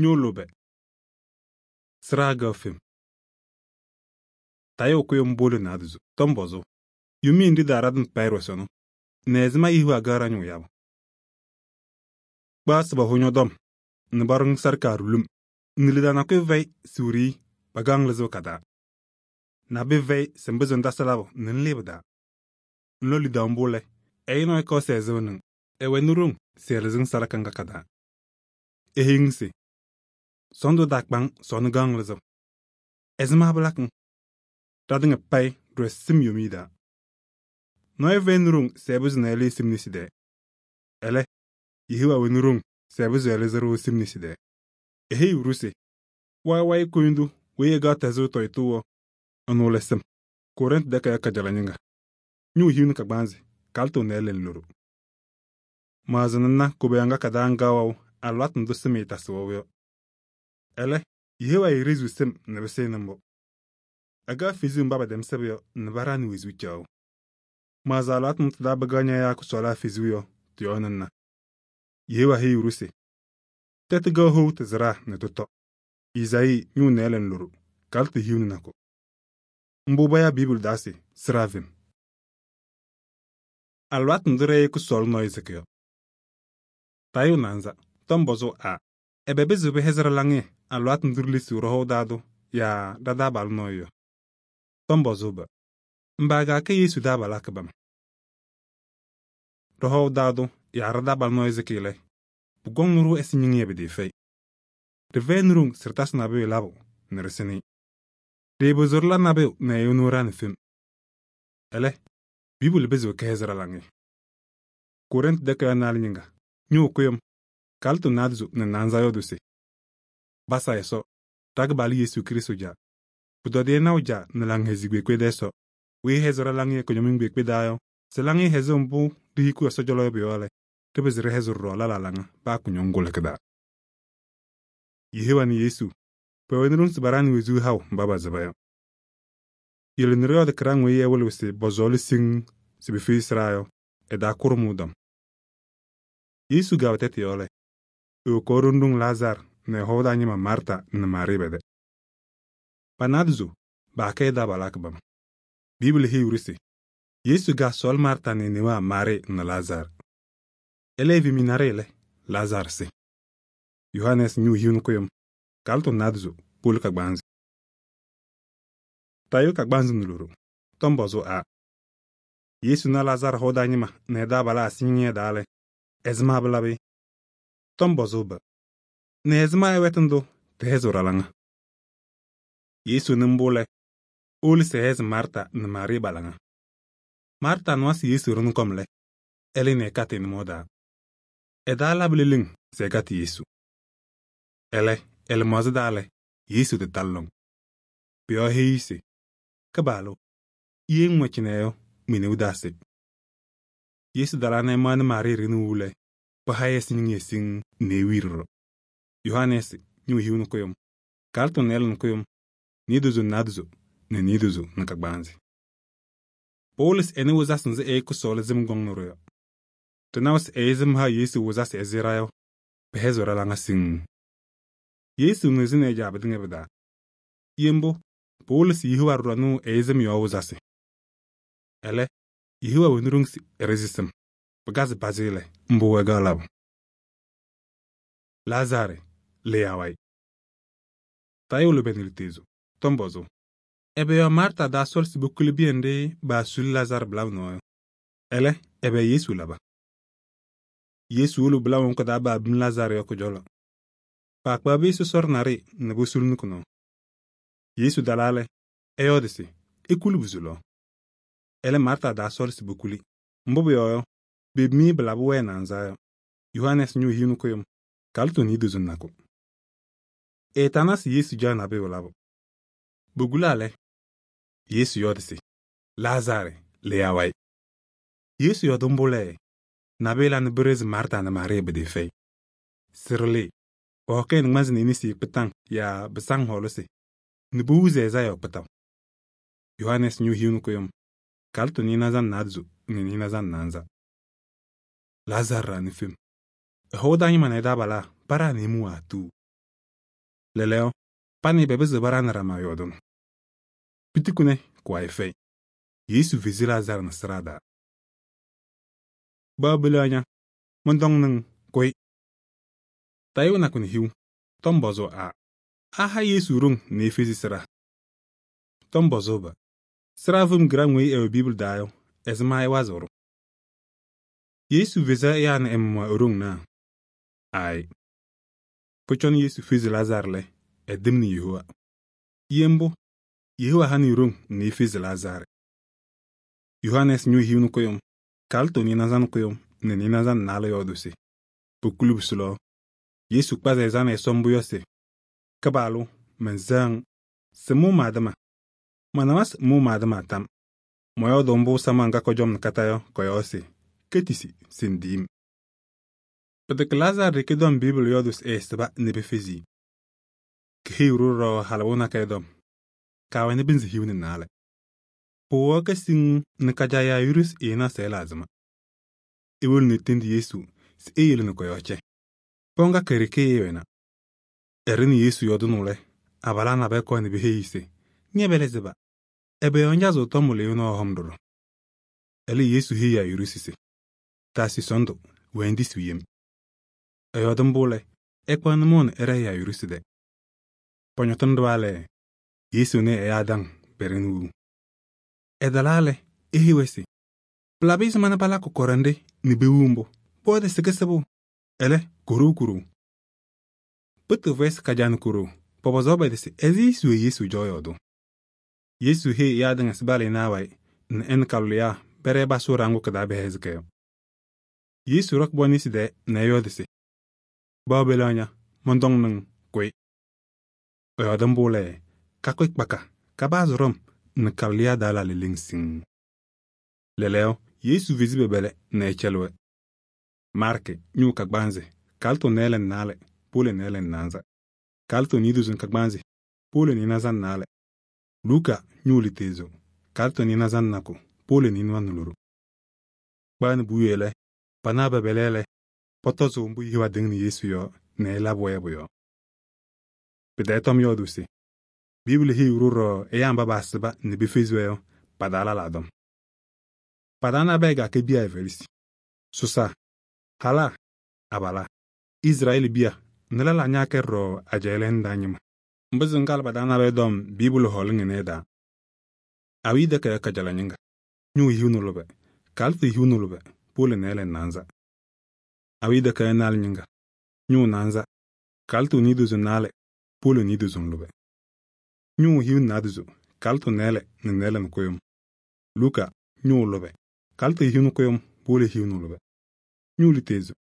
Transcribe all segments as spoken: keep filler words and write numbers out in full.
ñoo lʋbɛ sɩɖaa gaɣ fem. Tayʋʋ kʋyʋm bʋʋlɩ naadozo tɔm pɔzʋʋ yʋmɩyɛ nɖɩ daaradɩm payɩ ɖɩsɔnɔ nɛ ɛzɩma yehiɣa gaɣ ɖa-ñʋʋ yabʋ. Kpaɣ se pahʋ ñɔ-tɔm nɛ paɖʋ-ŋ salɩkaa ɖulum nɛ lidaa nakʋyʋ fɛyɩ se wiɖiyi pakaɣ-ŋ lɩzʋʋ ka-taa. Nabʋyʋ fɛyɩ se ŋpɩzɩɣ ŋtasɩ labʋ nɛ ŋlɩɩ pɩ-taa. Ŋlɔ lidaʋ mbʋ lɛ, ɛyʋ nɔɔyʋ kɔɔ se ɛzɩɣnɩ-ŋ, ɛwɛnɩ ɖoŋ se ɛlɩzɩ-ŋ salaka ŋga ka-taa. Eheyi-ŋ se: sɔɔndʋ taakpa-ŋ sɔɔnɩ gaɣ-ŋ lɩzʋʋ. Ɛzɩma pɩlakɩ-ŋ? Ɖatɩŋa payɩ ɖɩwɛ sɩm yomiye taa. Nɔɔyʋ fɛyɩnɩ ɖoŋ se ɛpɩzɩ nɛ ɛlɩɩ sɩm nesi taa. Ɛlɛ, Yehowa wɛnɩ ɖoŋ se ɛpɩzɩɣ ɛlɩzɩ-ɖʋ sɩm nesi taa. Eheyiɣ-ɖʋ se: wayɩ wayɩ kʋyʋndʋ weyi ɛgaɣ tɛzɩɣ tɔyʋtʋ yɔ, ɛnʋ lɛ sɩm. Korɩntɩ takayaɣ kajala ñɩŋga. Ñʋʋ hiu nɛ kagbaanzɩ, kalɩtʋ nɩɩlɛ ŋloɖo. Maɣzɩnɩ ŋna koboyaɣ ŋga ka-taa ŋga wɛʋ alɩwaatʋ ndʋ sɩm ɛɛtasɩ wɛʋ yɔ. Ɛlɛ, Yehowa eeɖeziɣ sɩm nɛ pɩsɩnɩ mbʋ. Ɛgaɣ fezuu mba pɛtɛm sɩbʋ yɔ nɛ paɖaɣnɩ wezuu caɣʋ. Maɣzɩ alɩwaatʋ ndʋ tɩ-taa pɩkaɣ ñayaa kʋsɔɔlaa fezuu yɔ, tɩ-yɔɔ nɛ ŋna. Yehowa heyiɣ-ɖʋ se: tɛtʋ gaɣ how tɩ-sɩɖaa nɛ tʋtɔ. Izayii ñʋʋ nɩɩlɛ ŋloɖo, kalɩtʋ hiu nɛ nakʋ. Mbʋ payaa Biibuli taa se sɩɖaa fem. Alɩwaatʋ ndʋ ɖɛ-ɛyɩ kʋsɔɔlʋ nɔɔyʋ sɩkɩ yɔ. Tayʋʋ naanza tɔm pɔzʋʋ A: ɛbɛ pɩzɩɣ pɩhɛzɩ ɖa-laŋɩyɛ alɩwaatʋ ndʋ ɖilesiɣ ɖɔ-hɔʋ taa tʋ yaa ɖa-taabalʋ nɔɔyʋ yɔ? Tɔm pɔzʋʋ B: mba kaakɛ Yesu taabalaa kɩbama. Ɖɔ-hɔʋ taa tʋ yaa ɖa-taabalʋ nɔɔyʋ sɩkɩ lɛ, pʋkɔŋnɩ-ɖʋ ɛzɩ ñɩŋɩyɛ pɩtɩɩfɛyɩ. Ɖɩfɛyɩnɩ ɖoŋ se ɖɩtasɩ nabʋyʋ labʋ nɛ ɖɩsɩnɩ-ɩ. Ɖɩɩpɩzɩɣ ɖɩla nabʋyʋ nɛ ɛyʋ ɛnʋ ɛɖaɣnɩ fem. Ɛlɛ, Biibuli pɩzɩɣ kɛhɛzɩ ɖa-laŋɩyɛ. Korɩntɩ takayaɣ naanị ñɩŋga, ñʋʋ kʋyʋm, kalɩtʋ naadozo nɛ naanza yɔɔdʋ se: basa Ɛsɔ, ɖa-Kɩpaɣlʋ Yesu Krɩstʋ Caa, pʋtɔdɩyɛ naʋ Caa nɛ Laŋhɛzɩyɛ kpeekpe tɛ-Ɛsɔ, weyi ɛhɛzɩɣ ɖa-laŋɩyɛ kʋñɔmɩŋ kpeekpe taa yɔ, se laŋɩyɛ hɛzɩɣ mbʋ ɖihikiɣ Ɛsɔ cɔlɔ yɔ pʋ-yɔɔ lɛ, ɖɩpɩzɩ ɖɩhɛzɩ ɖɔɖɔ lɛlaa laŋa paa kʋñɔŋ kʋlʋkɩ taa. Yehowa nɛ Yesu pɛwɛnɩ ɖoŋ se paɖaɣnɩ wezuu haʋ mba pasɩba yɔ. Yele nɛ ɖɩyɔɔdɩ kɩɖaŋ weyi ɛwɩlɩɣ se pɔsɔɔlɩ siŋŋ se pefiyi sɩɖaa yɔ, ɛ-taa kʋɖʋmʋʋ dɔm. Yesu gaabɩ tɛtʋ yɔɔ lɛ, ewokaɣ ɖoŋ ɖoŋ Lazaarɩ nɛ ɛ-hɔʋ taa ñɩma Maarta nɛ Maarɩɩ pɛ-tɛ. Pa-naadozo paakɛ ɛ-taabalaa kɩbama. Biibuli heyiɣ-ɖʋ se Yesu gaasɔɔlɩ Maarta nɛ e-newaa Maarɩɩ nɛ Lazaarɩ. Ɛlɛ evemi naɖɩyɛ lɛ, Lazaarɩ sɩ. Yohanɛɛsɩ ñʋʋ hiu nɛ kʋyʋm, kalɩtʋ naadozo powolo kagbaanzɩ. Tayʋʋ kagbaanzɩ nɛ loɖo tɔm pɔzʋʋ A: Yesu na Lazaarɩ hɔʋ taa ñɩma nɛ ɛ-taabalaa sɩ-ñɩŋɩyɛ taa lɛ, ɛzɩma pɩlabɩ-ɩ? Tɔm pɔzʋʋ B: nɛ ɛzɩma ɛ-wɛtʋ ndʋ tɩhɛzɩɣ ɖa-laŋa? Yesu nɩ mbʋ lɛ, ewolo se ɛhɛzɩ Maarta nɛ Maarɩɩ pa-laŋa. Maarta nɩwa se Yesu ɖʋnɩ kɔm lɛ, ɛlɩnɩ ɛkatɩ ɛ-nʋmɔɔ taa. Ɛ-taa labɩ leleŋ se ɛkatɩ Yesu. Ɛlɛ, ɛ-lɩmaɣza taa lɛ, Yesu tɩtalɩ lɔŋ. Pʋ-yɔɔ eheyi-i se: Kɩpaɣlʋ, ye ŋŋwɛ cɩnɛ yɔ, me-neu taasɩ. Yesu talaa nɛ ɛmaɣnɩ Maarɩɩ ɖɩɣnɩ wowu lɛ, paha-ɩ ɛ-sɩ-ñɩŋɩyɛ siŋŋ nɛ ewii ɖɔɖɔ. Yohanɛɛsɩ ñʋʋ hiu nɛ kʋyʋm, kalɩtʋ nɩɩlɛ nɛ kʋyʋm, niidozo nɛ naadozo nɛ niidozo nɛ kagbaanzɩ. Pɩwʋlɩ se ɛnɩ wɩzasɩ nzɩ ɛyɩ kʋsɔɔlʋ sɩm kɔŋnɩ-ɖʋ yɔ. Ɖɩnawa se ɛyɩ sɩm ha Yesu wɩzasɩ ɛzɩ ɖa yɔ, pɩhɛzɩɣ ɖa-laŋa siŋŋ. Yesu ŋɩɣzɩ nɛ ɛ-Caa pɩtɩŋa pɩ-taa. Ye mbʋ, pɩwʋlɩ se Yehowa ɖʋ ɖa-nʋʋ ɛyɩ sɩm yɔɔ wɩzasɩ. Ɛlɛ, Yehowa wɛnɩ ɖoŋ se ɛɖɩzɩ sɩm, pɩkazɩ pazɩ lɛ, mbʋ ɛgaɣ labʋ. Lazaarɩ lɩyaa wayɩ. Tayʋʋ lʋbɛ nɛ lutezo tɔm pɔzʋʋ: ɛbɛ yɔɔ Maarta daasɔɔlɩ se pokuli bɩyɛ nɖɩ paasuli Lazaarɩ bɩlabʋ nɔɔ yɔ? Ɛlɛ, ɛbɛ Yesu laba? Yesu wolo bɩlabʋ ŋʋ kɩ-taa baabim Lazaarɩ yɔ kʋ-cɔlɔ. Paakpaɣ bɩ sɔsɔɖɛ naɖɩyɛ nɛ posulini kʋ-nɔɔ. Yesu talaa lɛ, ɛyɔɔdɩ se ekuli bʋ-sʋlɔɔ. Ɛlɛ, Maarta daasɔɔlɩ se pokuli, mbʋ pʋyɔɔ yɔ, pebimi-i pɩlabɩ wɛɛ naanza yɔ. Yohanɛɛsɩ ñʋʋ hiu nɛ kʋyʋm, kalɩtʋ niidozo nɛ nakʋ. Ɛɛtana se Yesu caɣ nabʋyʋ labʋ. Bogulaa lɛ, Yesu yɔɔdɩ se: Lazaarɩ lɩyaa wayɩ. Yesu yɔɔdɩ mbʋ lɛ, nabʋyʋ la nɛ bɩrɩzɩ Maarta nɛ Maarɩɩ pɩtɩɩfɛyɩ. Sɩrɩlɩ, pɔhɔkɛ nɩŋmasɩ nɩɩnɩsɩ kpɩtaŋ yaa bɩsaŋ hɔɔlʋsɩ nɛ pohuzi ɛza yɔɔ kpɩtaʋ. Yohanɛɛsɩ ñʋʋ hiu nɛ kʋyʋm, kalɩtʋ nɩɩnaza nɛ naadozo nɛ nɩɩnaza nɛ naanza. Lazaarɩ ɖaɣnɩ fem. Ɛ-hɔʋ taa ñɩma nɛ ɛ-taabalaa paɖaɣnɩ-ɩ mʋ waatuu. Lɛɛlɛɛyɔ, pani pɛpɩzɩɣ paɖaŋnɩ ɖama yɔɔdʋʋnʋ. Pitikuni kʋwayɩ fɛyɩ. Yesu fezi Lazaarɩ nɛ sɩɖaa taa. Baabɛlɛɣ ña, mɔntɔŋ nɩŋ, kʋyɩ. Tayʋʋ nakʋ nɛ hiu, tɔm pɔzʋʋ a: aha Yesu ɖoŋ nɛ efezi sɩɖaa? Tɔm pɔzʋʋ-pʋ: sɩɖaa fem gɩraŋ weyi ɛwɛ Biibli taa yɔ, ɛzɩma ɩwazɩɣ-ɖʋ? Yesu feza ɛyaa nɛ ɛ-maɣmaɣ e-ɖoŋ naa? Aayɩ. Pʋcɔ Yesu fezi Lazaarɩ lɛ, ɛdɩmnɩ Yehowa. Ye mbʋ, Yehowa hanɩ-ɩ ɖoŋ nɛ efezi Lazaarɩ. Yohanɛɛsɩ ñʋʋ hiu nɛ kʋyʋm, Kalɩtɔ nɩɩnaza nɛ kʋyʋm nɛ nɩɩnaza nɛ naalɛ yɔɔdʋʋ se: pokuli pɩsʋ lɔɔ. Yesu kpazɩ ɛ-ɛza nɛ Ɛsɔ mbʋ yɔ se: Kɩpaɣlʋ, mɛnsɛɣ-ŋ se ŋmʋʋ ma-tɩma. Manawa se ŋmʋʋ ma-tɩma tam. Mɔyɔɔdʋʋ mbʋ samaɣ ŋga kɔjɔm nɛ kata yɔ, kɔ-yɔɔ se: ketisi se ŋdiyi-m. Pɩtɛkɛ Lazaarɩ ɖeke tɔm Biibli yɔɔdʋʋ se ɛɛsɩba nɛ pefezi-i. Keheyiɣ-ɖʋ ɖɔɖɔ halɩwʋ nakɛyɛ tɔm: kaawɛnɩ pɩnzɩ hiu nɛ naalɛ. Pʋwɛɛ kasiŋ nɛ kajaa Yayiruusi ɛɛnaɣ se ɛla azɩma. Ewolo nɛ etendi Yesu se eyele nɛ kɔ-yɔɔ cɛ. Pɔɔ ŋga ke-ɖeke ɛɛwɛna. Ɛɖɩnɩ Yesu yɔɔdʋnʋ lɛ, abalaa nabɛyɛ kɔɔ nɛ peheyi-i se: ñɛ-Bɛlɛzeba, ɛbɛ yɔɔ ŋjazɩɣ tɔm wɩlɩyʋ nɔɔ hɔm ɖɔɖɔ? Ɛlɛ Yesu heyi Yayiruusi se: taasɩ sɔɔndʋ, wɛɛ ŋtisi yem. Ɛyɔɔdɩ mbʋ lɛ, ɛkpaɣ nʋmɔʋ nɛ ɛɖɛɛ Yayiruusi tɛ. Pɔñɔtɩnɩ ɖɩɣa lɛ, Yesu nɛ ɛyaa daŋ pɛɖɛnɩ wuu. Ɛtalaa lɛ, eheyi-wɛ se: pɩlabɩ ɛzɩma nɛ palakɩ kɔɖɛnɖɩ nɛ pewuu mbʋ? Pʋwɛɛ se kɩsɩbʋ, ɛlɛ, ko-ɖoo ko-ɖoo. Pɩtɩɩfʋyɛ se kajaa nɛ ko-ɖoo, pɔpɔzaɣ pɛ-tɩ se ɛzɩ suwe Yesu dzɔ yɔɔdʋʋ? Yesu heyi ɛyaa tɩŋa se balɩnaa wayɩ nɛ ɛ nɛ ka-lʋlɩyaa pɛɖɛɛ pasʋʋ ɖaŋʋʋ kɩ-taa bɛhɛzɩ kɛ yɔ. Yesu ɖɔkɩ bɔ nesi tɛɛ nɛ ɛyɔɔdɩ se: baabɛlɛɣ ña, mɔntɔŋ nɩŋ, kʋyɩ. Ɛyɔɔdɩ mbʋ lɛ, kakʋyɩ kpaka, kabaazɩ ɖɔm nɛ ka-lʋlɩyaa daa la leleŋ siŋŋ. Lɛɛlɛɛyɔ, Yesu fezi bɛbɛlɛ nɛ ɛcɛlɩ-wɛ. Maarkɩ ñʋʋ kagbaanzɩ, Kalɩtɔ nɛɛlɛ nɛ naalɛ, Pʋʋlɩ nɛɛlɛ nɛ naanza. Kalɩtɔ niidozo nɛ kagbaanzɩ, Pʋʋlɩ nɩɩnaza nɛ naalɛ. Luuka ñʋʋ litezo, Kalɩtɔ nɩɩnaza nɛ nakʋ, Pʋʋlɩ nɩɩnʋwa nɛ loɖo. Kpaa nɛ puwiye lɛ, panaɣ bɛbɛlɛ lɛ, pɔtɔzʋʋ mbʋ Yehowa tɩŋnɩ Yesu yɔ nɛ ɛlabɩ-wɛ pʋ-yɔɔ. Pɩtɛɛ tɔm yɔɔdʋʋ se: Biibli heyiɣ-ɖʋ ɖɔɖɔ ɛyaa mba paasɩba nɛ pefezi-wɛ yɔ, pa-taa lala tɔm. Pa-taa nabɛyɛ ga-kɛ biya ɛfɛlɩsɩ: sʋsa, halaa, abalaa, Izrɛɛlɩ biya nɛ lɛlaa ñaakɛ ɖɔɖɔ ajɛɛ lɛɛna taa ñɩma. Mbʋ kalɩ pa-taa nabɛyɛ tɔm Biibli hɔɔlɩŋ ɩnɛ ɩ-taa. Awiya takayaɣ kajala ñɩŋga, ñʋʋ hiu nɛ lʋbɛ, Kalɩtɔ hiu nɛ lʋbɛ, Pʋʋlɩ nɛɛlɛ nɛ naanza. Awiya takayaɣ naalɛ ñɩŋga, ñʋʋ naanza, Kalɩtɔ niidozo nɛ naalɛ, Pʋʋlɩ niidozo nɛ lʋbɛ. Ñʋʋ hiu nɛ naadozo, Kalɩtɔ nɛɛlɛ nɛ nɛɛlɛ nɛ kʋyʋm. Luka ñʋʋ lʋbɛ, Kalɩtɔ hiu nɛ kʋyʋm, Pʋʋlɩ hiu nɛ lʋbɛ. Ñʋʋ litezo,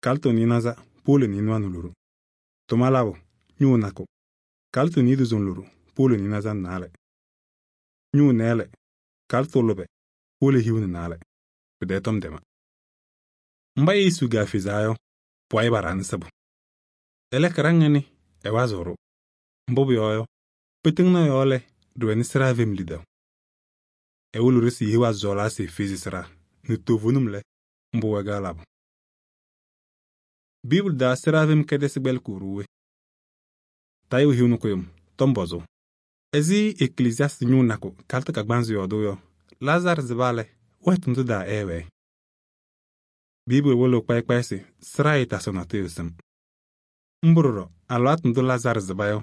Kalɩtɔ nɩɩnaza, Pʋʋlɩ nɩɩnʋwa nɛ loɖo. Tʋma labʋ ñʋʋ nakʋ, Kalɩtɔ niidozo nɛ loɖo, Pʋʋlɩ nɩɩnaza nɛ naalɛ. Ñʋʋ nɛɛlɛ, Kalɩtɔ lʋbɛ, Pʋʋlɩ hiu nɛ naalɛ. Pɩtɛɛ tɔm dɛma. Mba Yesu gaafezaa yɔ, pʋwayɩ baɖaɣnɩ sɩbʋ. Ɛlɛ kɩraŋ ɩnɩ, ɛwazɩɣ-ɖʋ. Mbʋ pʋyɔɔ yɔ, pɩtɩŋnɩ ɛ-yɔɔ lɛ, ɖɩwɛnɩ sɩɖaa fem lidaʋ. Ɛwolo-ɖʋ se Yehowa sɔɔlaa se efezi sɩɖaa, nɛ toovenim lɛ, mbʋ wɛ-kɛ labʋ. Biibli taa sɩɖaa fem kɛdɛsɩ kpɛlɩkɩɣ-ɖʋ we? Tayʋʋ hiu nɛ kʋyʋm, tɔm pɔzʋʋ: ɛzɩ Eklesiasɩ ñʋʋ nakʋ Kalɩtɔ kagbaanzɩ yɔɔdʋʋ yɔ, Lazaarɩ sɩba lɛ, wɛtʋ ndʋ daa ɛɛwɛɛ? Biibli wɩlɩɣ kpayɩ kpayɩ se sɩɖaa yɩtasɩɣ natʋyʋ sɩm. Mbʋ ɖɔɖɔ alɩwaatʋ ndʋ Lazaarɩ sɩba yɔ,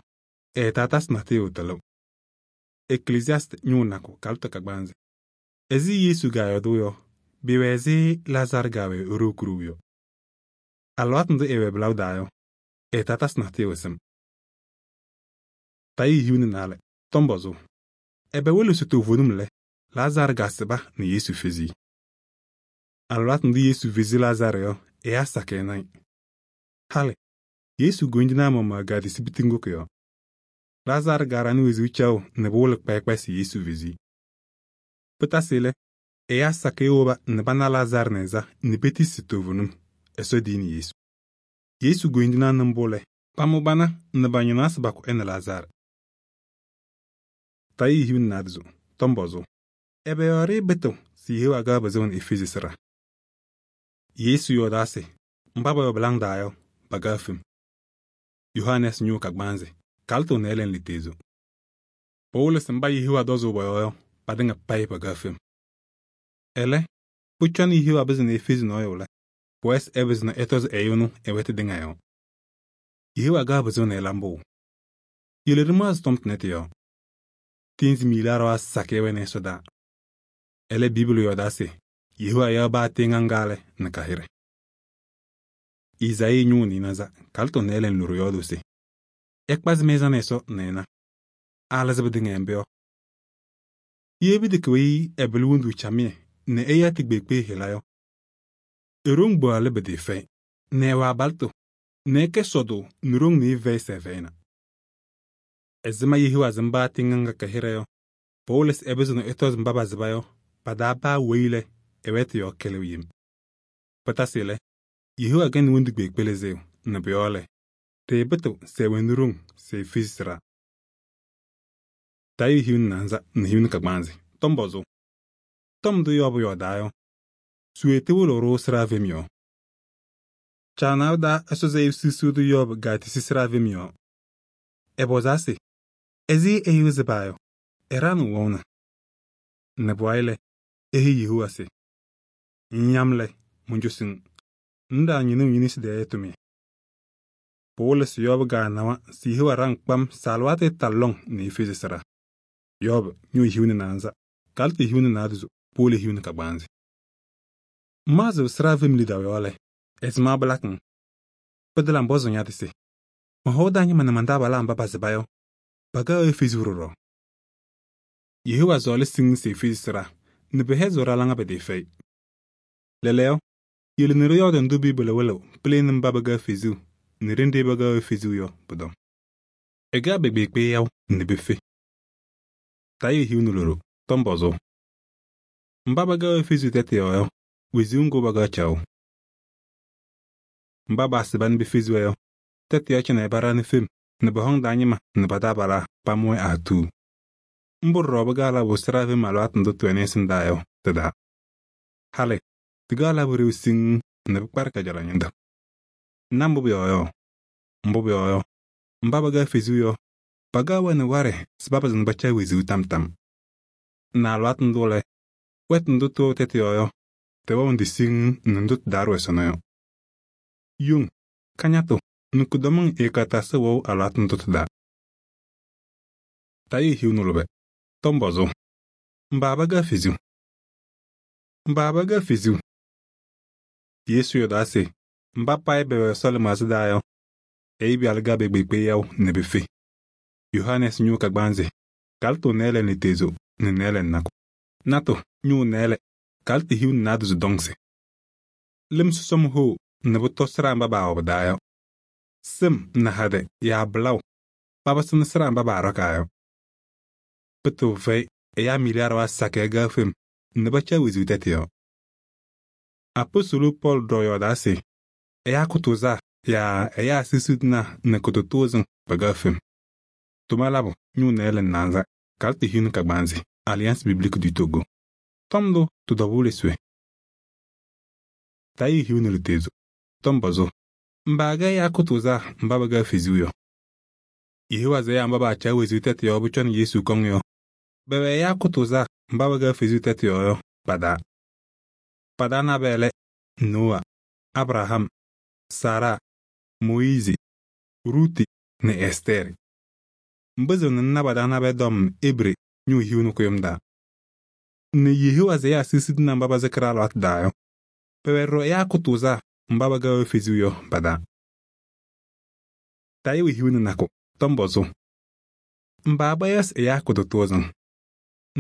ɛɛtaa tasɩ natʋyʋ tɩlɩʋ. Eklesiasɩ ñʋʋ nakʋ Kalɩtɔ kagbaanzɩ. Ɛzɩ Yesu gaayɔɔdʋʋ yɔ, bɩwɛ ɛzɩ Lazaarɩ gaawɛ e-ɖoo kurowu yɔ. Alɩwaatʋ ndʋ ɛɛwɛ bɩlaʋ daa yɔ, ɛɛtaa tasɩ natʋyʋ sɩm. Tayɩ hiu nɛ naalɛ, tɔm pɔzʋʋ: ɛbɛ wolo se toovenim lɛ, Lazaarɩ gaasɩba nɛ Yesu fezi-i? Alɩwaatʋ ndʋ Yesu fezi Lazaarɩ yɔ, ɛyaa sakɩ ɩnayɩ. Halɩ, Yesu goyindinaa maɣmaɣ gaadɩsɩ pitiŋgu kʋ-yɔɔ. Lazaarɩ gaaɖanɩ wezuu caɣʋ nɛ pʋwɩlɩ kpayɩ kpayɩ se Yesu fezi-i. Pɩtasɩ lɛ, ɛyaa sakɩ woba nɛ pana Lazaarɩ nɛ ɛ-ɛza nɛ petisi toovenim, Ɛsɔ diyini Yesu. Yesu goyindinaa nɩ mbʋ lɛ, pamʋ bana nɛ ba-ñɩnaɣ se bakʋ ɛ nɛ Lazaarɩ. Tayɩ hiu nɛ naadozo, tɔm pɔzʋʋ: ɛbɛ yɔɔ ɖɩɩbɩtɩɣ se Yehowa ga pɩzɩɣnɩ efezi sɩɖaa? Yesu yɔɔdaa se mba pɛwɛ bɩlaŋ daa yɔ, pagaa fem. Yohanɛɛsɩ ñʋʋ kagbaanzɩ, kaltʋ nɛ ɛlɛ litezo. Pɩwɩlɩ se mba Yehowa dɔzʋʋ pɔ-yɔɔ yɔ, patɩŋa payɩ pɛkɛɣ fem. Ɛlɛ, pʋcɔ Yehowa pɩzɩnɩ efezi nɔɔyʋ lɛ, pʋwɛɛ se ɛpɩzɩ nɛ ɛtɔzɩ ɛyʋ ɛnʋ ɛ-wɛtʋ tɩŋa yɔɔ. Yehowa kaɣ pɩzʋʋ nɛ ɛla mbʋ. Yele ɖɩmaɣzɩ tɔm tʋnɛ tɩ-yɔɔ. Tɩɩnzɩ miilaa ɖɩɣa sakɩyɛ wɛnɩ ɛsɔdaa. Ɛlɛ, Biibli yɔɔdaa se Yehowa yaɣ baa tɩɩŋa ŋga lɛ nɛ ka-hɩɖɛ. Izayii ñʋʋ nɩɩnaza kaltʋ nɛ ɛlɛ loɖo yɔɔdʋʋ se: ɛkpazɩ mɛ-ɛza nɛ Ɛsɔ nɛ ɛna, alɩzɩ pɩtɩŋa mbʋ yɔ. Ye pɩtɛkɛ weyi ɛbɩlɩ wondu camɩyɛ nɛ ɛya tɩ-kpeekpe hɩla yɔ, e-ɖoŋ kpaɣlɩ pɩtɩɩfɛyɩ nɛ ɛwɛ abalɩtʋ nɛ ɛkɛ sɔdʋʋ nɛ ɖoŋ nɩɩfɛyɩ sɛ ɛfɛyɩna. Ɛzɩma Yehowa sɩm baa tɩɩŋa ŋga kɛ-hɩɖɛ yɔ, pɩwɩlɩ se ɛpɩzɩ nɛ ɛtɔzɩ mba pasɩba yɔ pa-taa paa weyi lɛ ɛ-wɛtʋ yɔɔ kɩlɩɣ yem. Pɩtasɩ lɛ, Yehowa kɛnɩ wondu kpeekpe lɩzɩɣ nɛ pʋ-yɔɔ lɛ, ɖɩɩpɩtɩɣ se ɛwɛnɩ ɖoŋ se efezi sɩɖaa. Tayʋʋ hiu nɛ naanza nɛ hiu nɛ kagbaanzɩ, tɔm pɔzʋʋ. Tɔm ndʋ Yɔɔbʋ yɔɔdaa yɔ, sʋʋ tɩwɩlɩɣ-ɖʋ sɩɖaa fem yɔɔ. Caanaʋ daa Ɛsɔ zɛyɩ susuu tʋ Yɔɔbʋ gaatisi sɩɖaa fem yɔɔ. Ɛpɔzaa se: ɛzɩ ɛyʋ sɩbaa yɔ, ɛɖaɣnɩɣ wɛʋna? Nɛ pʋwayɩ lɛ, eheyi Yehowa se: ŋŋyam lɛ, mɔncosɩ-ŋ, ŋɖaa ñɩnɩɣ ñe-nesi taa tʋmɩyɛ. Pɩwɩlɩ se Yɔɔbʋ gaanawa se Yehowa ɖaŋ kpam se alɩwaatʋ ɛtalɩ lɔŋ nɛ efezi sɩɖaa. Yɔɔbʋ ñʋʋ hiu nɛ naanza, kalɩtʋ hiu nɛ naadozo, powolo hiu nɛ kagbaanzɩ. Ŋmaɣzɩɣ sɩɖaa fem lidaʋ yɔɔ lɛ, ɛzɩma pɩlakɩ-ŋ? Pɩtala ŋpɔzʋʋ ña-tɩ se: mɔ-hɔʋ taa ñɩma nɛ man-taabalaa mba pasɩba yɔ, pakaɣ efezuu ɖɔɖɔ. Yehowa sɔɔlɩ siŋŋ se efezi sɩɖaa nɛ pɩhɛzɩɣ ɖa-laŋa pɩtɩɩfɛyɩ. Lɛɛlɛɛyɔ, yele nɛ ɖɩyɔɔdɩ ndʋ Biibli wɩlɩɣ pɩlɩnɩ mba pɛkɛɣ fezuu nɛ ɖenɖe pɛkɛɣ efezuu yɔ pʋ-tɔm. Ɛkɛɣ pɛ-kpeekpe yaʋ nɛ pefe. Tayʋʋ hiu nɛ loɖo, tɔm pɔzʋʋ. Mba pɛkɛɣ efezuu tɛtʋ yɔɔ yɔ, wezuu ŋgʋ pɛkɛɣ caɣʋ. Mba paasɩba nɛ pefezi-wɛ yɔ, tɛtʋ yɔ cɩnɛ paɖaɣnɩ fem nɛ pɔ-hɔŋ taa ñɩma nɛ pa-taabalaa pamʋ-wɛ aatuu. Mbʋ ɖɔɖɔ pɩkaɣ labʋ sɩɖaa fem alɩwaatʋ ndʋ tɩwɛnɩ ɛsɩndaa yɔ tɩ-taa. Halɩ, tɩkaɣ labʋ ɖeu siŋŋ nɛ pɩkparɩ kajalaɣ ñɩnta. Na mbʋ pʋyɔɔ yɔ? Mbʋ pʋyɔɔ yɔ, mba pɛkɛɣ fezuu yɔ, pakaɣ-wɛ nɛ waɖɛ se papɩzɩ nɛ paca wezuu tam tam. Nɛ alɩwaatʋ ndʋ lɛ, wɛtʋ ndʋ tɩwɛɣ tɛtʋ yɔɔ yɔ, tɩwɛɣ ndɩ siŋŋ nɛ ndʋ tɩ-taa ɖʋwɛ sɔnɔ yɔ. Yoŋ, kañatʋ nɛ kʋdɔmɩŋ ɛɛkɔtasɩ wɛʋ alɩwaatʋ ndʋ tɩ-taa. Tayʋʋ hiu nɛ lʋbɛ, tɔm pɔzʋʋ. Mba pɛkɛɣ fezuu? Mba pɛkɛɣ fezuu? Yesu yɔɔdaa se mba payɩ pɛwɛ Ɛsɔ lɩmaɣza taa yɔ, Ɛyʋ Pɩyalʋ kaɣ pɛ-kpeekpe yaʋ nɛ pefe. Yohanɛɛsɩ ñʋʋ kagbaanzɩ, kalɩtʋ nɩɩlɛ lɩtezo nɛ nɩɩlɛ nakʋ. Natʋ ñʋʋ nɩɩlɛ, kalɩtʋ hiu nɛ naadozo dɔŋsɩ. Lɩm sɔsɔm hoo nɛ pʋtɔ sɩɖaa mba baawɛ pɩ-taa yɔ. Sɩm nɛ hadɛ yaa bɩlaʋ papɩsɩnɩ sɩɖaa mba paaɖɔkaa yɔ. Pɩtɩɣa fɛyɩ ɛyaa miilaa ɖɩɣa sakɩyɛ kaɣ fem nɛ paca wezuu tɛtʋ yɔɔ. Apɔstʋlʋ Pɔɔlɩ ɖɔ yɔɔdaa se ɛyaa kʋtʋʋzaa yaa ɛyaa susudinaa nɛ kʋtʋtʋʋzɩŋ pɛkɛɣ fem. Tʋma labʋ ñʋʋ nɩɩlɛ nɛ naanza, kalɩtʋ hiu nɛ kagbaanzɩ, Alliance Biblique du Togo. Tɔm ndʋ tɩ-tɔbʋʋlɩ sʋɛ. Tayʋʋ hiu nɛ lɩtezo, tɔm pɔzʋʋ. Mba kɛ ɛyaa kʋtʋʋzaa mba pɛkɛɣ fezuu yɔ. Yehowa sɛ ɛyaa mba paaca wezuu tɛtʋ yɔɔ pʋcɔ nɛ Yesu kɔŋ yɔ, bɛwɛ ɛyaa kʋtʋʋzaa mba pɛkɛɣ fezuu tɛtʋ yɔɔ yɔ pa-taa. Pa-taa nabɛyɛ lɛ: Noa, Abraham, Sara, Moyiizi, Ruuti nɛ Ɛstɛɛrɩ. Mbɩzɩɣ nɛ ŋna pa-taa nabɛyɛ tɔm Ebre ñʋʋ hiu nɛ kʋyʋm daa. Nɛ Yehowa sɛ ɛyaa susudinaa mba pasɩkɩ ɖa-alɩwaatʋ daa yɔ, pɛwɛ ɖɔɖɔ ɛyaa kʋtʋʋzaa mba pɛkɛɣ fezuu yɔ pa-taa. Tayʋʋ hiu nɛ nakʋ, tɔm pɔzʋʋ. Mba bayɔsɩ ɛyaa kʋtʋtʋʋzɩŋ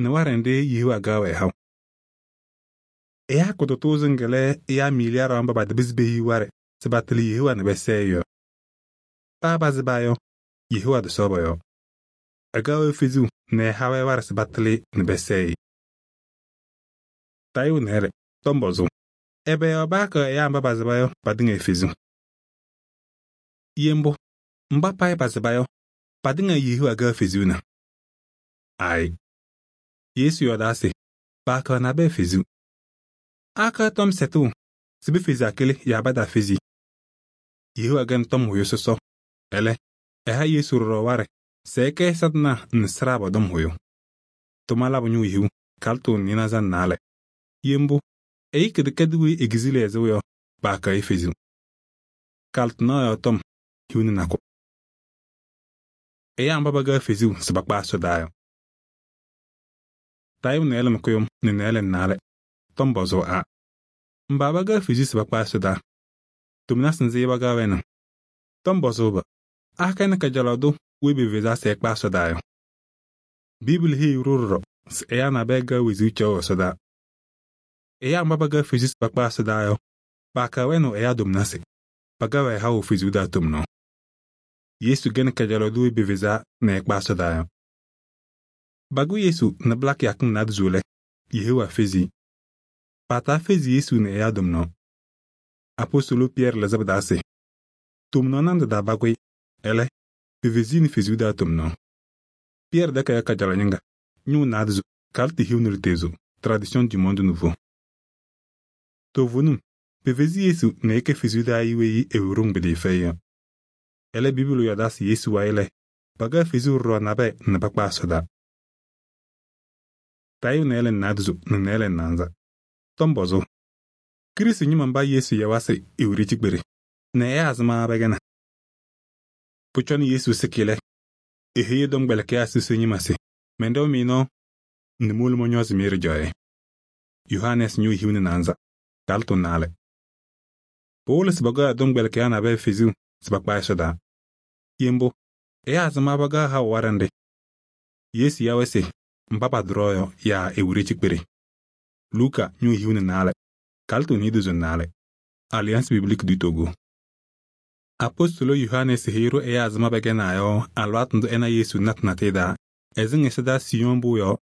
nɛ waɖɛ nɖɩ Yehowa kaɣ-wɛ haʋ. Ɛyaa kʋtʋtʋʋzɩŋ lɛ ɛyaa miilaa ɖɩɣa mba patɩpɩzɩ pehiɣ waɖɛ se patɩlɩ Yehowa nɛ pɛsɛɛ yɔ. Paa pasɩba yɔ, Yehowa tɩsɔɔ pɔ-yɔɔ. Ɛkaɣ-wɛ fezuu nɛ ɛha-wɛ waɖɛ se patɩlɩ nɛ pɛsɛɛ. Tayʋʋ nɩɩlɛ, tɔm pɔzʋʋ. Ɛbɛ yɔɔ paakɛ ɛyaa mba pasɩba yɔ patɩŋa efezuu? Ye mbʋ, mba payɩ pasɩba yɔ, patɩŋa Yehowa kaɣ fezuu na? Aayɩ. Yesu yɔɔdaa se paakɛ nabɛyɛ fezuu. Akɛ tɔm sɛtʋʋ se pefezi akɩlɩ yaa pataafezi. Yehowa kɛnɩ tɔm hʋyʋ sɔsɔ. Ɛlɛ, ɛha Yesu ɖɔɖɔ waɖɛ sɛɛkɛ satɩnaa nɛ sɩɖaa pɔ-tɔm hʋyʋ. Tʋma labʋ ñʋʋ hiu, kalɩtʋ nɩɩnaza nɛ naalɛ. Ye mbʋ, ɛyʋ kɩdɛkɛdʋ weyi ekizili ɛzʋʋ yɔ, paakaɣ-ɩ fezuu. Kalɩtʋ naɣ yɔɔ tɔm hiu nɛ nakʋ. Ɛyaa mba pakaɣ fezuu se pakpa ɛsɔdaa yɔ. Tayʋʋ nɩɩlɛ nɛ kʋyʋm nɛ nɩɩlɛ nɛ naalɛ, tɔm pɔzʋʋ a. Mba pakaɣ fezuu se pakpa ɛsɔdaa, tomnasɩ nzɩ pakaɣ wɛnɩ? Tɔm pɔzʋʋ ba: akɛ nɛ kajalaɣ tʋ weyi pevezaa se ɛkpa ɛsɔdaa yɔ? Biibuli heyi-ɖʋ ɖɔɖɔ se ɛyaa nabɛyɛ kaɣ wezuu caɣʋ ɛsɔdaa. Ɛyaa mba pakaɣ fezuu se pakpa ɛsɔdaa yɔ, paakaɣ wɛnɩɣ ɛyaa tomnasɩ, pakaɣ-wɛ haʋ fezuu taa tomnaɣ. Yesu gɛnɩ kajalaɣ tʋ weyi pevezaa nɛ ɛkpa ɛsɔdaa yɔ. Bagʋ Yesu nɛ pɩla kɩyakɩŋ naadozo lɛ, yehewaa fezi. Paataa fezi Yesu nɛ ɛyaa tomnaɣ. Apostolo Pɩyɛɛrɩ lɩzɩ pɩ-taa se: tomnaɣ nandʋ dabagʋ-ɩ, ɛlɛ, pefezi-i nɛ fezuu taa tomnaɣ. Pɩyɛɛrɩ tɛkɛyɛ kajalaɣ ñɩŋga, ñʋʋ naadozo, kalɩtʋ hiu nɛ ɖɩtezo, tradition du monde nouveau. Toovenim, pefezi Yesu nɛ ɛkɛ fezuu taa ɛyʋ weyi ɛwɛ ɖoŋ pɩtɩɩfɛyɩ yɔ. Ɛlɛ, Biibuli yɔɔdaa se Yesu wayɩ lɛ, pakaɣ fezuu ɖɔɖɔ nabɛyɛ nɛ pakpa ɛsɔdaa. Tayʋʋ nɩɩlɛ nɛ naadozo nɛ nɩɩlɛ nɛ naanza, tɔm pɔzʋʋ: Kirisi ñɩma mba Yesu yawa se ewure cikpere nɛ ɛyaa ɛzɩma pɛkɛna? Pʋcɔ nɛ Yesu sɩkɩ lɛ, eheyi ɛ-tɔmkpɛlɩkɩyaa sɔsɔ ñɩma se: mɛnɖɛʋ-mɩ nɔɔ nɛ mowolo mɔñɔɔzɩ-mɩ ɖɩjaɣyɛ. Yohanɛɛsɩ ñʋʋ hiu nɛ naanza, kalɩtʋ naalɛ. Pɩwɩlɩ se pakaɣ ɛ-tɔmkpɛlɩkɩyaa nabɛyɛ fezuu se pakpa ɛsɔdaa. Ye mbʋ, ɛyaa ɛzɩma pakaɣ haʋ waɖɛ nɖɩ? Yesu ya-wɛ se mba paɖʋrɔ yɔ yaa ewure cikpere. Luka ñʋʋ hiu nɛ naalɛ, kalɩtʋ niidozo nɛ naalɛ. Alliance Biblique du Togo. Apostolo Yohanɛɛsɩ heyi-ɖʋ ɛyaa ɛzɩma pɛkɛnaa yɔ alɩwaatʋ ndʋ ɛna Yesu natɩ natɩyɛ taa, ɛsɩŋ ɛsɔdaa Siyɔn pʋʋ yɔɔ,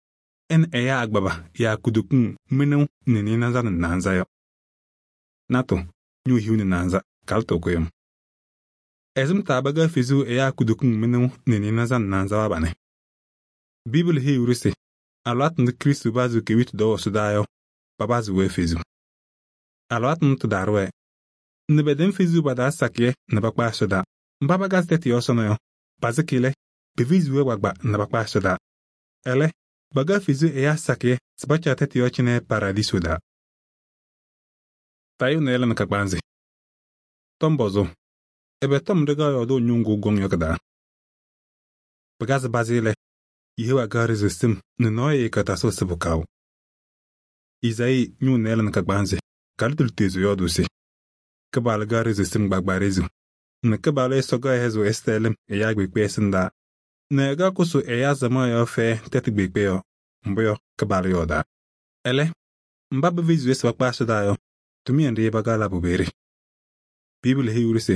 ɛ nɛ ɛyaa agbaba yaa kutokiŋ mɩnʋʋ nɛ nɩɩnaza nɛ naanza yɔ. Natʋ ñʋʋ hiu nɛ naanza, kalɩtʋ kʋyʋm. Ɛzɩm taa pakaɣ fezuu ɛyaa kutokiŋ mɩnʋʋ nɛ nɩɩnaza nɛ naanza wabanɩ. Biibuli heyi-ɖʋ se alɩwaatʋ ndʋ Kristo pazɩ kewitu dɔɔ ɛsɔdaa yɔ, papazɩ-wɛ fezuu. Alɩwaatʋ ndʋ tɩ-ɖarʋ-wɛ, nɛ pɛtɛm fezuu pa-taa sakɩyɛ nɛ pakpa ɛsɔdaa. Mba pakazɩ tɛtʋ yɔɔ sɔnɔ yɔ, pasɩkɩ lɛ, pefezi-wɛ gbagba nɛ pakpa ɛsɔdaa. Ɛlɛ, pakaɣ fezuu ɛyaa sakɩyɛ se pacaɣ tɛtʋ yɔɔ cɩnɛ paradɩso daa. Tayʋʋ nɩɩlɛ nɛ kagbaanzɩ, tɔm pɔzʋʋ: ɛbɛ tɔm ɖɩkaɣ yɔɔdʋʋ ñʋŋ ŋgʋ gɔŋ yɔ kɩ-taa? Pɩkazɩ bazɩ lɛ, yehewaa kaɣ rɩzɩstɩm nɛ nɔɔyʋ ɛɛkɔtasɩ sɩbʋ kaʋ. Izayii ñʋʋ nɩɩlɛ nɛ kagbaanzɩ, kalɩtʋ lɩtezo yɔɔdʋʋ se: Kɩpaala kaɣ rɩzɩstɩm gbaagba rezu, nɛ Kɩpaala Ɛsɔ kaɣ hɛzʋʋ ɛsɛtɛlɩm ɛyaa kpeekpe ɛsɩndaa, nɛ ɛkaɣ kʋsʋ ɛyaa zamaɣ yɔɔ fɛyɛ tɛtʋ kpeekpe yɔ, mbʋ yɔ Kɩpaala yɔɔdaa. Ɛlɛ, mba pefezi-wɛ se pakpa ɛsɔdaa yɔ, tʋmɩyɛ nɖɩ pakaɣ labʋ peere? Biibuli heyi-ɖʋ se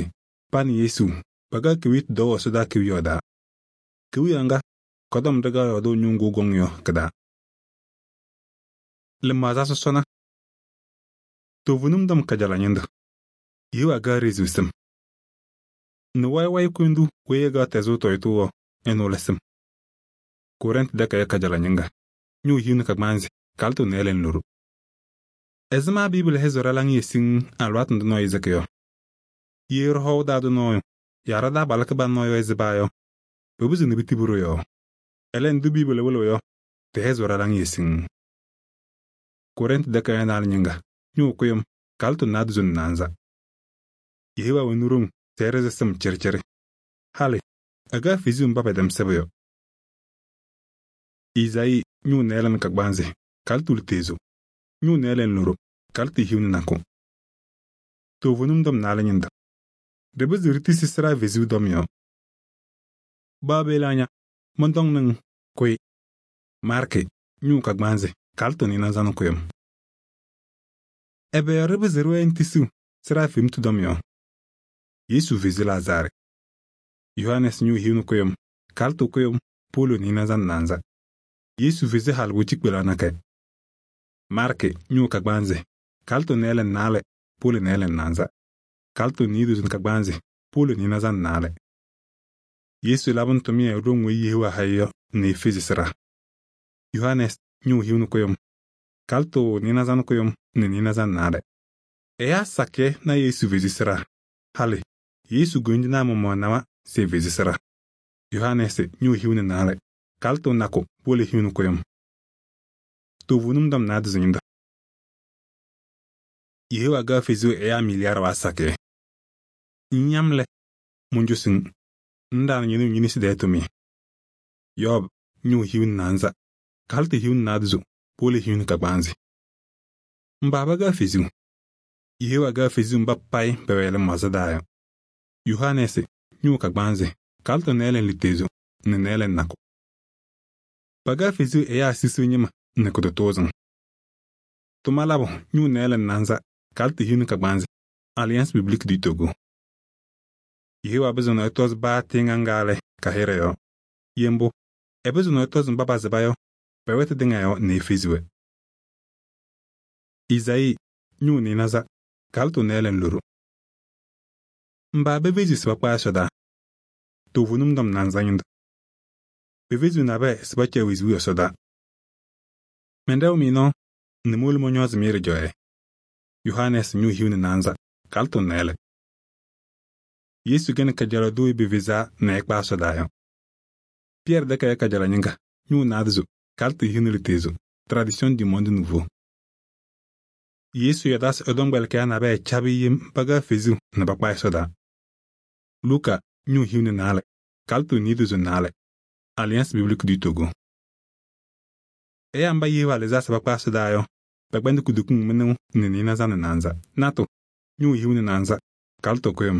pa nɛ Yesu pakaɣ kewitu dɔɔ ɛsɔdaa kewiyaɣ daa. Kewiyaɣ ŋga kɔtɔm ɖɩkaɣ yɔɔdʋʋ ñʋŋ ŋgʋ gɔŋ yɔ kɩ-taa. Lɩmaɣza sɔsɔna. Toovenim tɔm kajalaɣ ñɩndʋ, yehewaa kaɣ rezu sɩm. Nɛ wayɩ-wayɩ kʋyʋndu weyi ɛkaɣ tɛzʋʋ tɔyɩtʋ wɔ, ɛnʋ lɛ sɩm. Korɛntɩ tɛkɛyɛ kajalaɣ ñɩŋga, ñʋʋ hiu nɛ kagbaanzɩ, kalɩtʋ nɩɩlɛ nɛ loru. Ɛzɩma Biibuli hɛzʋ ɖa-laŋɩyɛ siŋ alɩwaatʋ ndʋ nɔɔyʋ zɩkɩ yɔ? Ye ɖɩhɔʋ daa dʋ nɔɔyʋ yaa ɖa-taabalʋ kɩbana nɔɔyʋ ɛzɩbaa yɔ, pɩpɩzɩ nɛ pɩtibɩ-ɖʋ yɔɔ. Ɛlɛ ndʋ Biibuli wɩlɩɣ yɔ, tɩhɛzʋ ɖa-laŋɩyɛ siŋ. Korɛntɩ tɛkɛyɛ naalɛ ñɩŋga, ñʋʋ kʋyʋm, kalɩtʋ naadozo nɛ naanza. Yehewaa wɛnɩ ɖoŋ se ɛrɩzɩ sɩm cɩrɩcɩrɩ. Halɩ, ɛkaɣ fezuu mba pɛtɛm sɩbʋ yɔ. Izayii ñʋʋ nɩɩlɛ nɛ kagbaanzɩ, kalɩtʋ lɩtezo, ñʋʋ nɩɩlɛ nɛ loru, kalɩtʋ hiu nɛ nakʋ. Toovenim tɔm naalɛ ñɩndʋ, ɖɩpɩzɩ ɖitisi sɩɖaa fezuu tɔm yɔ. Baabelaaña, mɔntɔŋ nɩŋ kʋyɩ. Maarkɩ ñʋʋ kagbaanzɩ, kalɩtʋ nɩɩnaza nɛ kʋyʋm. Ɛbɛ yɔɔ ɖɩpɩzɩ ɖɩwɛɛ ŋtisiw sɩɖaa femtu tɔm yɔ? Yesu fezi Lazaarɩ. Yohanɛɛsɩ ñʋʋ hiu nɛ kʋyʋm, kalɩtʋ kʋyʋm, polo nɩɩnaza nɛ naanza. Yesu fezi halɩgʋ cikpelaa nakɛ. Maarkɩ ñʋʋ kagbaanzɩ, kalɩtʋ nɩɩlɛ nɛ naalɛ, polo nɩɩlɛ nɛ naanza. Kalɩtʋ niidozo nɛ kagbaanzɩ, polo nɩɩnaza nɛ naalɛ. Yesu labɩnɩ tʋmɩyɛ ɖoŋ weyi yehewaa hayɩ yɔ nɛ efezi sɩɖaa. Yohanɛɛsɩ ñʋʋ hiu nɛ kʋyʋm, kalɩtʋ nɩɩnaza nɛ kʋyʋm nɛ nɩɩnaza nɛ naalɛ. Ɛyaa sakɩyɛ na Yesu fezi sɩɖaa. Halɩ, Yesu goyindinaa mɔmɔ nawa se efezi sɩɖaa. Yohannes ñʋʋ hiu nɛ naarɛ, kalɩtʋ nakʋ powolo hiu nɛ kʋyʋm. Toovenim tɔm naadozo ñɩnɖɛ. Yehowa kaɣ fezuu ɛyaa miliyaarɩ sakɩyɛ. Ŋñyam lɛ, moncosi-ŋ, ŋɖaɣnɩ ñe-neu ñe-nesi taa tʋmɩyɛ. Yɔɔb ñʋʋ hiu nɛ naanza, kalɩtʋ hiu nɛ naadozo powolo hiu nɛ kagbaanzɩ. Mba pakaɣ fezuu. Yehowa kaɣ fezuu mba payɩ pɛwɛ lɩmaɣza taa yɔ. Yohannes ñʋʋ kagbaanzɩ, kalɩtʋ nɩɩlɛ lidazo nɛ nɩɩlɛ nakʋ. Pakaɣ fezuu ɛyaa susuu ñɩma nɛ kʋtʋtʋʋzɩŋ. Tʋma labʋ ñʋʋ nɩɩlɛ naanza, kalɩtʋ hiu nɛ kagbaanzɩ, Alliance Biblique du Togo. Yehowa pɩzɩɣ ɛtɔzɩ paa tɩɩŋa ŋga lɛ ka-hɩɖɛ yɔɔ. Ye mbʋ, ɛpɩzɩɣ ɛtɔzɩ mba pasɩba yɔ pɛ-wɛtʋ tɩŋa yɔɔ nɛ efezi-wɛ. Izayii ñʋʋ nɩɩnaza, kalɩtʋ nɩɩlɛ loɖo. Mba pefezi se pakpa ɛsɔdaa. Toovenim tɔm naanza ñɩnɖɛ. Pefezi nabɛyɛ se pacaɣ wezuu ɛsɔdaa. Mɛnɖɛɣ-mɩ nɔɔ nɛ mowolo mɔñɔɔzɩ-mɩ ɖɩjaɣyɛ. Yohannes ñʋʋ hiu nɛ naanza, kalɩtʋ nɩɩlɛ. Yesu kɛnɩ kajalaɣ do pefezaa nɛ ɛkpa ɛsɔdaa yɔ. Pɩyɛɛrɩ tɛkɛyɛ kajalaɣ ñɩŋga, ñʋʋ naadozo, kalɩtʋ hiu nɛ lidezo, tradition du monde nouveau. Yesu yɔdasɩ ɛ-tɔmkpɛlɩkɩyaa nabɛyɛ cabɩ yem pakaɣ fezuu nɛ pakpa ɛsɔdaa. Luka ñʋʋ hiu nɛ naalɛ, kalɩtʋ niidozo naalɛ, Alliance Biblique du Togo. Ɛyaa mba Yehowa lɩzaa se pakpa ɛsɔdaa yɔ, pɛkpɛndɩ kudukiŋ mɩnʋʋ nɛ nɩɩnaza nɛ naanza. Natʋ ñʋʋ hiu nɛ naanza, kalɩtʋ kʋyʋm.